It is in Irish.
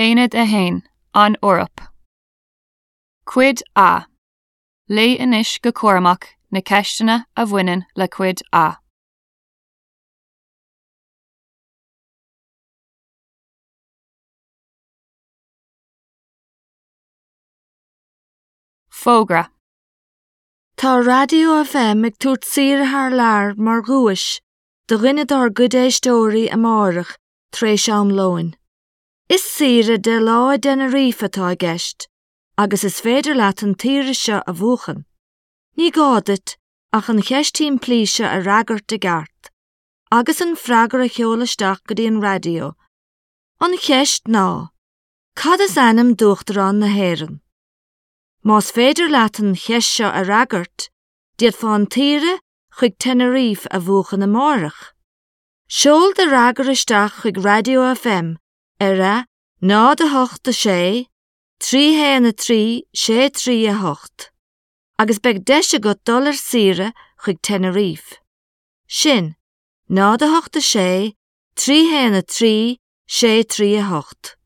Aonad 1, An Eoraip. Cuid A. Léigh anois go cúramach na ceisteanna a bhaineann le Cuid A. Fógra. Tá Raidió FM ag tabhairt saoire thar lear mar dhuais do dhuine dár gcuid éisteoirí amárach tar éis am lóin. Is saoire de lá i dTenerife atá i gceist agus is féidir leat an tsaoire seo a bhuachan. Ní gá duit ach an cheist shimplí seo a fhreagairt i gceart agus an freagra a sheoladh isteach go dtí an raidió. An cheist ná, Cad is ainm d'Uachtarán na hÉireann? Más féidir leat an cheist seo a fhreagairt, d'fhéadfá an tsaoire chuig Tenerife a bhuachan amárach. Seol do fhreagra isteach chuig Raidió FM ar a 0 8 6 3 1 3 6 3 8 agus beidh deis agat dul ar saoire chuig Tenerife. Sin 0 8 6 3 1 3 6 3 8.